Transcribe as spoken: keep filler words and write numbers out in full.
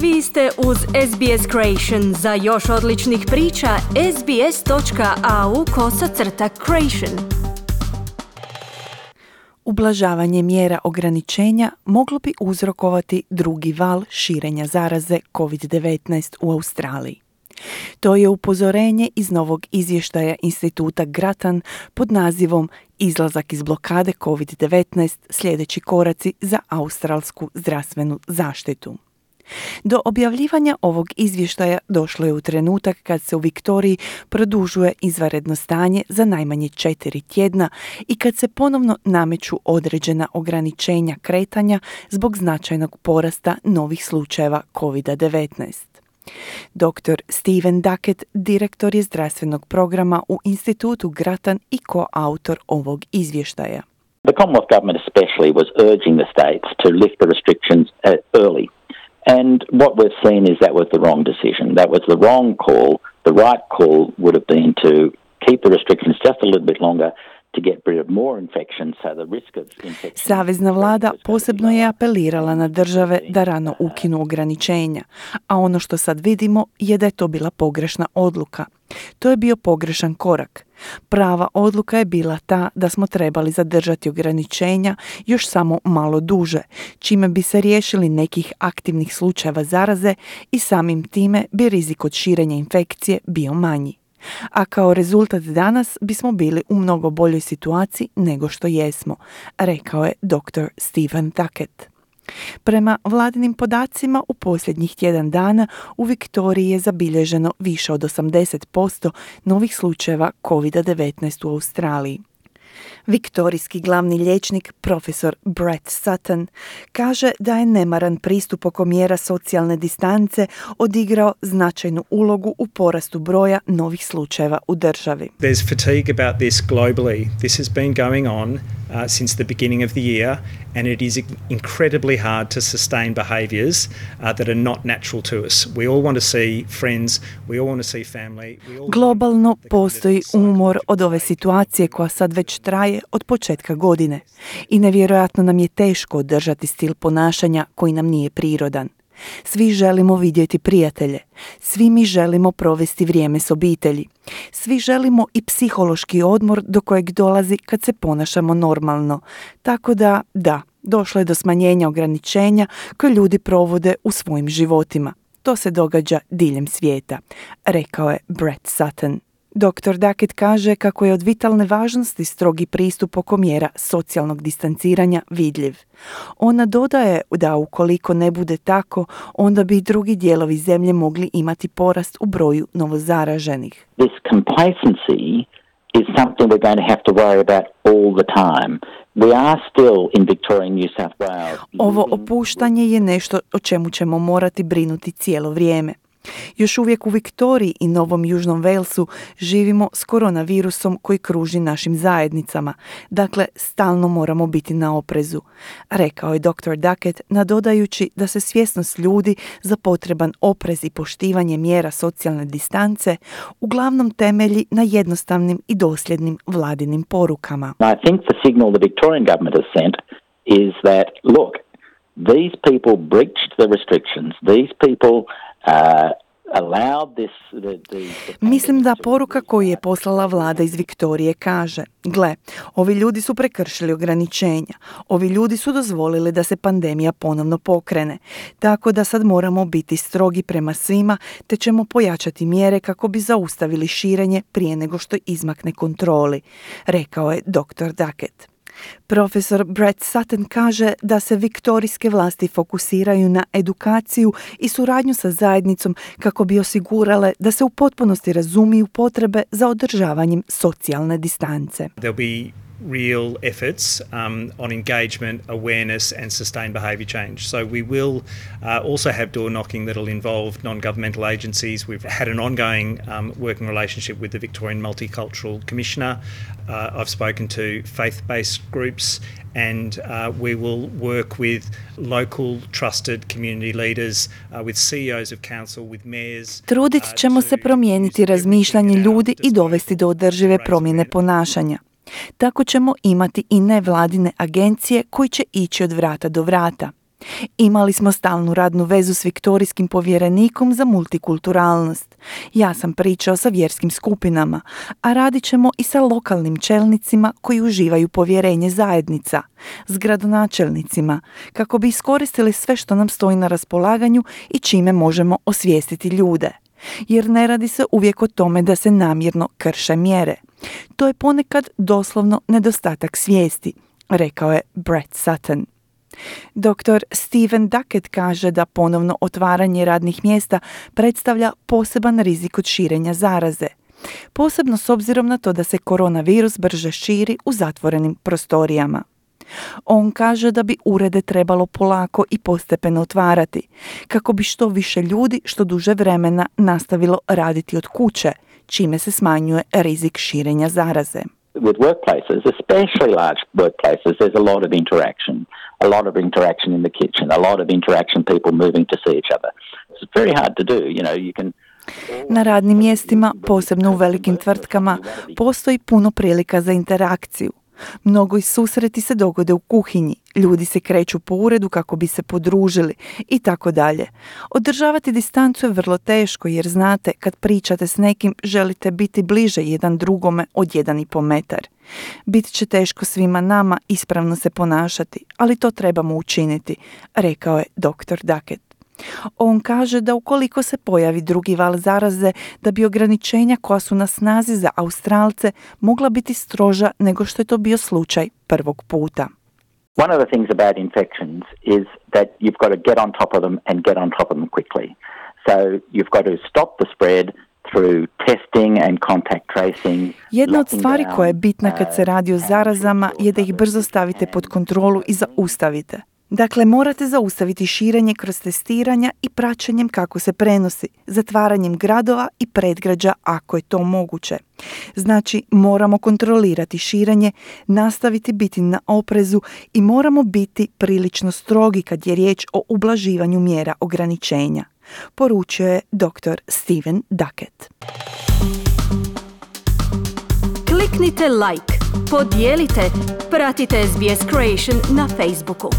Vi ste uz S B S Creation. Za još odličnih priča, sbs.au kosacrta creation. Ublažavanje mjera ograničenja moglo bi uzrokovati drugi val širenja zaraze covid devetnaest u Australiji. To je upozorenje iz novog izvještaja instituta Grattan pod nazivom Izlazak iz blokade covid devetnaest, sljedeći koraci za australsku zdravstvenu zaštitu. Do objavljivanja ovog izvještaja došlo je u trenutak kad se u Viktoriji produžuje izvanredno stanje za najmanje četiri tjedna i kad se ponovno nameću određena ograničenja kretanja zbog značajnog porasta novih slučajeva covid devetnaest. doktor Stephen Duckett, direktor je zdravstvenog programa u institutu Grattan i koautor ovog izvještaja. The Commonwealth government especially was urging the states to lift the restrictions uh, early. And what we've seen is that was the wrong decision. That was the wrong call. The right call would have been to keep the restrictions just a little bit longer to get rid of more infections, so the risk of infection. Savezna vlada posebno je apelirala na države da rano ukinu ograničenja, a ono što sad vidimo je da je to bila pogrešna odluka. To je bio pogrešan korak. Prava odluka je bila ta da smo trebali zadržati ograničenja još samo malo duže, čime bi se riješili nekih aktivnih slučajeva zaraze i samim time bi rizik od širenja infekcije bio manji. A kao rezultat danas bismo bili u mnogo boljoj situaciji nego što jesmo, rekao je doktor Stephen Duckett. Prema vladinim podacima u posljednjih tjedan dana u Viktoriji je zabilježeno više od osamdeset posto novih slučajeva covid devetnaest u Australiji. Viktorijski glavni liječnik profesor Brett Sutton kaže da je nemaran pristup oko mjera socijalne distance odigrao značajnu ulogu u porastu broja novih slučajeva u državi. There's fatigue about this globally. This has been going on uh, since the beginning of the year and it is incredibly hard to sustain behaviours uh, that are not natural to us. We all want to see friends, we all want to see family. We all Globalno postoji umor od ove situacije koja sad već traje od početka godine i nevjerojatno nam je teško održati stil ponašanja koji nam nije prirodan. Svi želimo vidjeti prijatelje, svi mi želimo provesti vrijeme s obitelji, svi želimo i psihološki odmor do kojeg dolazi kad se ponašamo normalno. Tako da, da, došlo je do smanjenja ograničenja koje ljudi provode u svojim životima. To se događa diljem svijeta, rekao je Brett Sutton. doktor Duckett kaže kako je od vitalne važnosti strogi pristup oko mjera socijalnog distanciranja vidljiv. Ona dodaje da ukoliko ne bude tako, onda bi i drugi dijelovi zemlje mogli imati porast u broju novozaraženih. This complacency is something we're going to have to worry about all the time. We are still in Victoria and New South Wales. Ovo opuštanje je nešto o čemu ćemo morati brinuti cijelo vrijeme. Još uvijek u Viktoriji i Novom Južnom Walesu živimo s koronavirusom koji kruži našim zajednicama, dakle stalno moramo biti na oprezu, rekao je doktor Duckett, nadodajući da se svjesnost ljudi za potreban oprez i poštivanje mjera socijalne distance uglavnom temelji na jednostavnim i dosljednim vladinim porukama. I think the signal the Victorian government has sent is that, look, these people breached the restrictions, these people Uh, this, the, the, the Mislim da poruka koju je poslala vlada iz Viktorije kaže: gle, ovi ljudi su prekršili ograničenja, ovi ljudi su dozvolili da se pandemija ponovno pokrene, tako da sad moramo biti strogi prema svima te ćemo pojačati mjere kako bi zaustavili širenje prije nego što izmakne kontroli, rekao je doktor Duckett. Profesor Brett Sutton kaže da se viktorijske vlasti fokusiraju na edukaciju i suradnju sa zajednicom kako bi osigurale da se u potpunosti razumiju potrebe za održavanjem socijalne distance. There'll be real efforts um, on engagement, awareness and sustained behaviour change. So we will uh, also have door knocking that will involve non-governmental agencies. We've had an ongoing um, working relationship with the Victorian Multicultural Commissioner. Uh, I've spoken to faith-based groups and uh, we will work with local trusted community leaders, uh, with C E Os of council, with mayors. Trudit ćemo se promijeniti razmišljanje ljudi i dovesti do održive promjene ponašanja. Tako ćemo imati i nevladine agencije koji će ići od vrata do vrata. Imali smo stalnu radnu vezu s viktorijskim povjerenikom za multikulturalnost. Ja sam pričao sa vjerskim skupinama, a radit ćemo i sa lokalnim čelnicima koji uživaju povjerenje zajednica, s gradonačelnicima, kako bi iskoristili sve što nam stoji na raspolaganju i čime možemo osvijestiti ljude. Jer ne radi se uvijek o tome da se namjerno krše mjere. To je ponekad doslovno nedostatak svijesti, rekao je Brett Sutton. doktor Stephen Duckett kaže da ponovno otvaranje radnih mjesta predstavlja poseban rizik od širenja zaraze. Posebno s obzirom na to da se koronavirus brže širi u zatvorenim prostorijama. On kaže da bi urede trebalo polako i postepeno otvarati, kako bi što više ljudi što duže vremena nastavilo raditi od kuće, čime se smanjuje rizik širenja zaraze. With workplaces, especially large workplaces, there's a lot of interaction, a lot of interaction in the kitchen, a lot of interaction, people moving to see each other. It's very hard to do, you know, you can... Na radnim mjestima, posebno u velikim tvrtkama, postoji puno prilika za interakciju. Mnogo i susreti se dogode u kuhinji, ljudi se kreću po uredu kako bi se podružili i tako dalje. Održavati distancu je vrlo teško jer znate, kad pričate s nekim želite biti bliže jedan drugome od jedan i po metar. Bit će teško svima nama ispravno se ponašati, ali to trebamo učiniti, rekao je doktor Duckett. On kaže da ukoliko se pojavi drugi val zaraze, da bi ograničenja koja su na snazi za Australce mogla biti stroža nego što je to bio slučaj prvog puta. One of the things about infections is that you've got to get on top of them and get on top of them quickly. So you've got to stop the spread through testing and contact tracing. Jedna od stvari koja je bitna kad se radi o zarazama je da ih brzo stavite pod kontrolu i zaustavite. Dakle, morate zaustaviti širenje kroz testiranja i praćenjem kako se prenosi, zatvaranjem gradova i predgrađa ako je to moguće. Znači, moramo kontrolirati širenje, nastaviti biti na oprezu i moramo biti prilično strogi kad je riječ o ublaživanju mjera ograničenja, poručio je doktor Stephen Duckett. Kliknite like, podijelite, pratite S B S Creation na Facebooku.